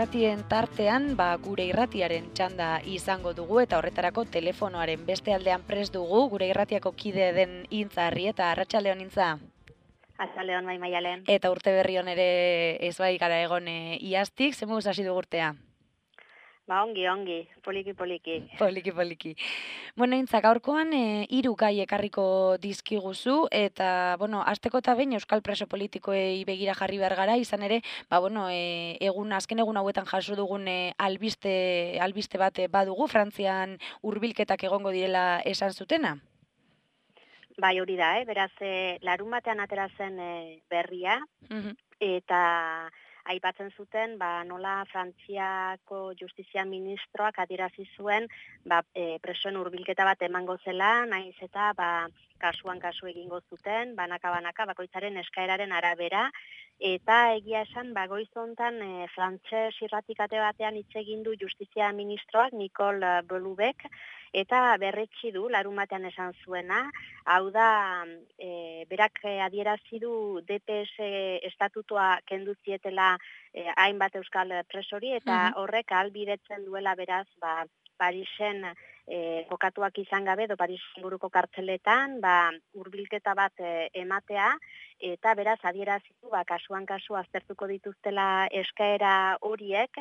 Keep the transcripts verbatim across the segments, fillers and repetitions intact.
irratien tartean, ba, gure irratiaren txanda izango dugu eta horretarako telefonoaren beste aldean prest dugu, gure irratiako kide den Intza Arrieta. Arratsaldeon, Intza. Arratsaldeon, bai Maialen. Eta urte berri on ere ez bai gara egon e, iaztik, zer moduz hasi dugu urtea? Ba, ongi, ongi, poliki, poliki. Poliki, poliki. Bueno, Intza, gaurkoan e, hiru gai ekarriko dizkiguzu, eta, bueno, hasteko eta behin euskal preso politikoei begira jarri behar gara, izan ere, ba, bueno, e, egun, azken egun hauetan jaso dugun e, albiste, albiste bat e, badugu, Frantzian hurbilketak egongo direla esan zutena? Bai, hori da, eh? Beraz, e, larun batean atera zen e, berria, Mhm. eta aipatzen zuten, ba, nola Frantziako justizia ministroak adierazi zuen, ba, e, presoen hurbilketa bat emango zela, naiz eta, ba, kasuan kasu egingo zuten, banaka-banaka, bakoitzaren eskaeraren arabera, eta egia esan, ba, goiz hontan e, frantses irratikate batean hitz egin du justizia ministroak, Nicole Belubek, eta berretsi du, larun batean esan zuena, hau da, e, berak adierazi du D P S estatutua kendu zietela e, hainbat euskal presori, eta Mhm. horrek ahalbidetzen duela beraz, ba, Parisen e, kokatuak izan gabe, edo Parisen buruko kartzeletan, ba, hurbilketa bat e, ematea, eta beraz adierazitu, ba, kasuan kasu aztertuko dituztela eskaera horiek,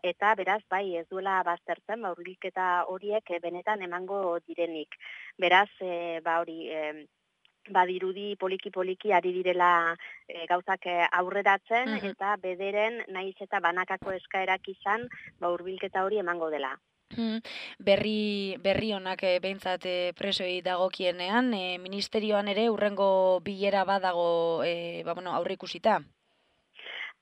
eta beraz, bai, ez duela baztertzen, ba, hurbilketa horiek e, benetan emango direnik. Beraz, e, ba, hori... E, badirudi poliki-poliki ari direla e, gauzak e, aurreratzen, Mhm. eta bederen naiz eta banakako eskaerak izan, ba, hurbilketa hori emango dela. Hmm, Berri, berri honak e, behintzat e, presoei dagokienean, e, ministerioan ere hurrengo bilera badago e, ba, bueno, aurreikusita.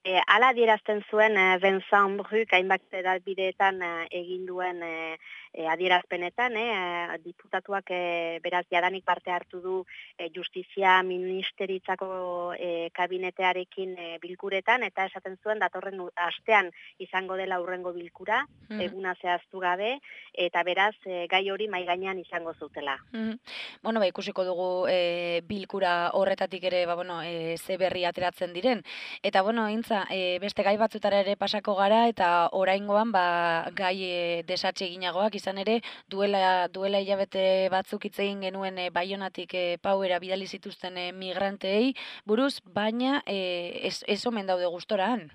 E, ala adierazten zuen e, Vincent Bruk hainbat bideetan e, egin duen e, e, adierazpenetan, e, diputatuak e, beraz jadanik parte hartu du e, justizia ministeritzako e, kabinetearekin e, bilkuretan, eta esaten zuen datorren astean izango dela hurrengo bilkura, Mhm. eguna zehaztu gabe, eta beraz e, gai hori mai gainean izango zutela. Mhm. Bueno, ba, ikusiko dugu e, bilkura horretatik ere, ba, bueno, e, ze berri ateratzen diren. Eta, bueno, Intza, e, beste gai batzutara ere pasako gara, eta oraingoan, ba, gai e, desatxe eginagoak, izan ere, duela, duela hilabete batzuk hitz egin genuen e, Baionatik e, pauera bidali zituzten e, migranteei, buruz, baina e, ez, ez omen daude gustoran.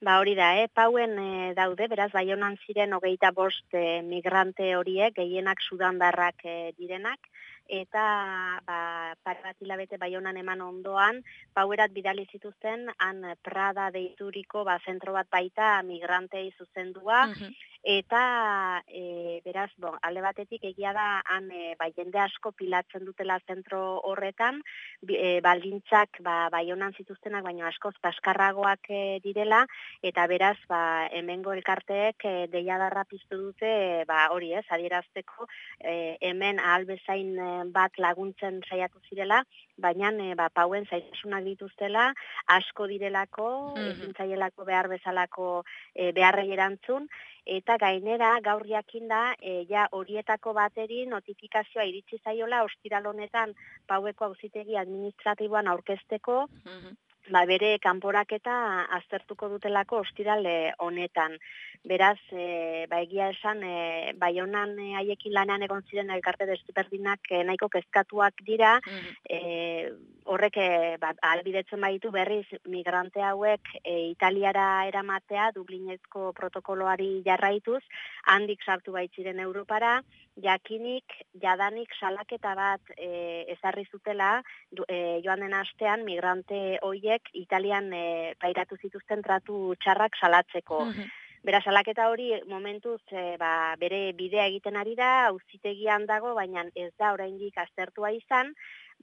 Ba hori da, eh? Pauen e, daude, beraz, Baionan ziren hogeita bost e, migrante horiek, gehienak sudandarrak e, direnak, eta ba, pare bat hilabete Baionan eman ondoan, pauerat bidali zituzten, han Prada deituriko ba, zentro bat baita migrantei zuzendua, Mhm. eta e, beraz, bon, alde batetik egia da, han e, ba, jende asko pilatzen dutela zentro horretan, bi, e, baldintzak ba, Baionan zituztenak, baino askoz paskarragoak e, direla, eta beraz, ba, hemengo elkarteek e, deiadarra piztu dute, e, ba, hori ez, adierazteko, e, hemen ahal bezain e, bat laguntzen saiatu zirela, baina e, ba, pauen zaitasunak dituztela, asko direlako, Mhm. ezin zaielako behar bezalako e, beharrei erantzun, eta gainera gaur jakinda e, ja horietako bateri notifikazioa iritsi zaiola ostiral honetan paueko auzitegi administratiboan aurkezteko, Mhm. ba, bere kanporaketa aztertuko dutelako ostirale honetan. Beraz, e, ba, egia esan, e, Baionan e, haiekin lanean egon ziren elkarte desberdinak e, nahiko kezkatuak dira, Mhm. e, horrek e, ba, ahalbidetzen baditu berriz migrante hauek e, Italiara eramatea, Dublinezko protokoloari jarraituz, handik sartu baitziren Europara, jakinik, jadanik salaketa bat e, ezarri zutela, du, e, joan den astean migrante hoiek Italian e, pairatu zituzten tratu txarrak salatzeko. Mhm. Beraz, salaketa hori momentuz e, ba, bere bidea egiten ari da, auzitegian dago, baina ez da oraindik aztertua izan,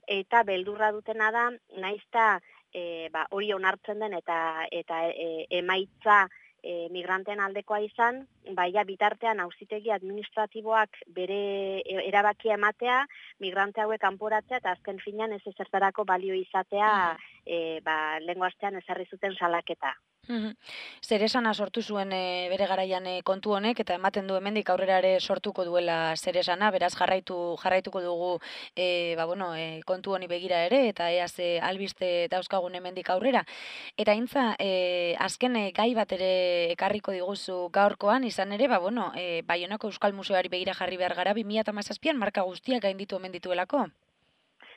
eta beldurra dutena da, naizta e, ba, hori onartzen den eta, eta e, emaitza e, migranteen aldekoa izan, baina bitartean auzitegi administratiboak bere erabakia ematea, migrante hauek kanporatzea eta azken finean ez ezertarako balio izatea Mhm. e, ba, lehengo astean ezarri zuten salaketa. Mhm. Zer esana sortu zuen e, bere garaian e, kontu honek eta ematen du hemendik aurrera ere sortuko duela zer esana, beraz jarraitu jarraituko dugu e, ba, bueno, e, kontu honi begira ere eta ea ze albiste dauzkagun hemendik aurrera. Eta intza, e, azken e, gai bat ere ekarriko diguzu gaurkoan, izan ere, ba, bueno, e, Baionako Euskal Museoari begira jarri behar gara, bi mila hamazazpian marka guztiak gainditu omen dituelako.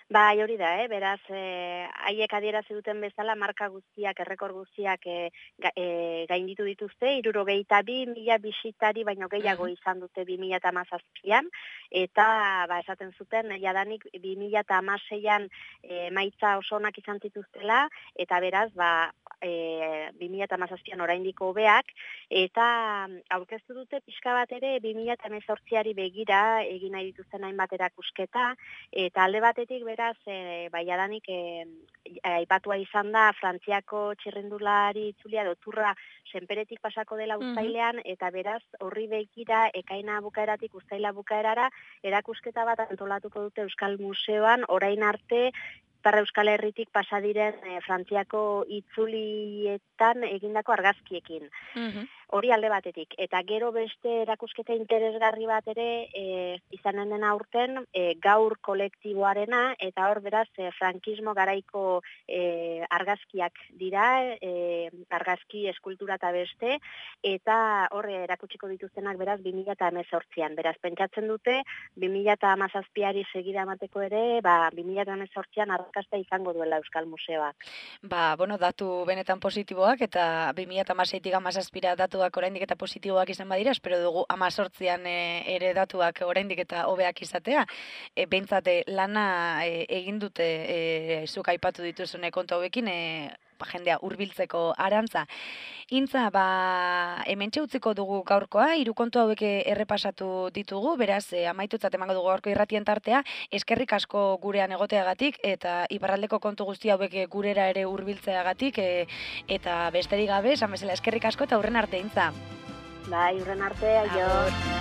Bai, hori da, eh? Beraz, eh, haiek adierazi duten bezala, marka guztiak, errekor guztiak eh, ga, eh, gainditu dituzte, hirurogeita bi mila bisitari baino gehiago Mhm. izan dute bi mila hamazazpian, eta ba, esaten zuten, jadanik bi mila hamaseian eh, maitza oso onak izan zituztela, eta beraz, ba, e, bi mila hamazazpian oraindik hobeak, eta aurkeztu dute pixka bat ere bi mila hemezortziari begira egin nahi dituzten hainbat erakusketa, eta alde batetik beraz, e, baiadanik e, aipatua izan da Frantziako txirrindulari itzulia doturra senperetik pasako dela Mhm. uztailean, eta beraz horri begira ekaina bukaeratik uztaila bukaerara erakusketa bat antolatuko dute Euskal Museoan orain arte Ipar Euskal Herritik pasa diren e, Frantziako itzulietan egindako argazkiekin. Mhm. Hori alde batetik. Eta gero beste erakusketa interesgarri bat ere e, izanen dena aurten e, gaur kolektiboarena, eta hor beraz e, frankismo garaiko e, argazkiak dira, e, argazki eskultura eta beste, eta hor erakutsiko dituztenak beraz bi mila hemezortzian. Beraz, pentsatzen dute bi mila hamazazpiari segida emateko ere, ba, bi mila hemezortzian arrakasta izango duela Euskal Museoak. Ba, bueno, datu benetan positiboak eta bi mila hamaseitik hamazazpira datuak oraindik eta positiboak izan badira, espero dugu hemezortzian e, ere datuak oraindik eta hobeak izatea. E, behintzat e, lana e, egin dute e, zuk aipatu dituzune kontu hauekin, e, ba, jendea hurbiltzeko arantza. Intza, ba, hementxe utziko dugu gaurkoa, hiru kontu hauek errepasatu ditugu, beraz, e, amaitutzat emango dugu gaurko irratien tartea, eskerrik asko gurean egoteagatik eta iparraldeko kontu guzti hauek e, gurera ere hurbiltzeagatik e, eta besterik gabe, esan bezala eskerrik asko eta aurren arte Intza. Bai, urren arte, aio. Agur.